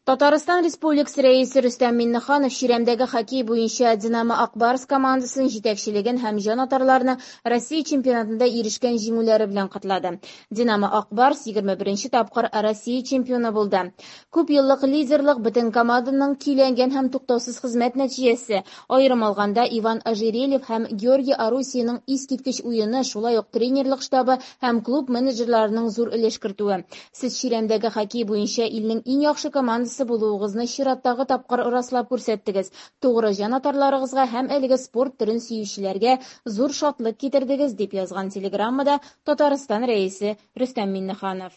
Татарстан Республикасы Рәисе Рөстәм Миңнеханов чирәмдәге хоккей буенча "Динамо-Ак Барс" командасын җитәкчелеген һәм җанатарларны Россия чемпионатында ирешкән җиңүләре белән котлады. "Динамо-Ак Барс" 21 тапкыр Россия чемпионы булды. Күп еллык лидерлык - бөтен команданың көйләнгән һәм туктаусыз хезмәт нәтиҗәсе, аерым алганда, Иван Ожерельев һәм Георгий Арусиянең искиткеч уены, шулай ук тренерлык штабы һәм клуб менеджерларының зур өлеш кертүе. Сез чирәмдәге хоккей буенча илнең иң яхшы командасы булуыгызны чираттагы тапкыр раслап күрсәттегез, тугры җанатарларыгызга һәм әлеге спорт төрен сөючеләргә зур шатлык китердегез, дип язган телеграммада Татарстан Рәисе Рөстәм Миңнеханов.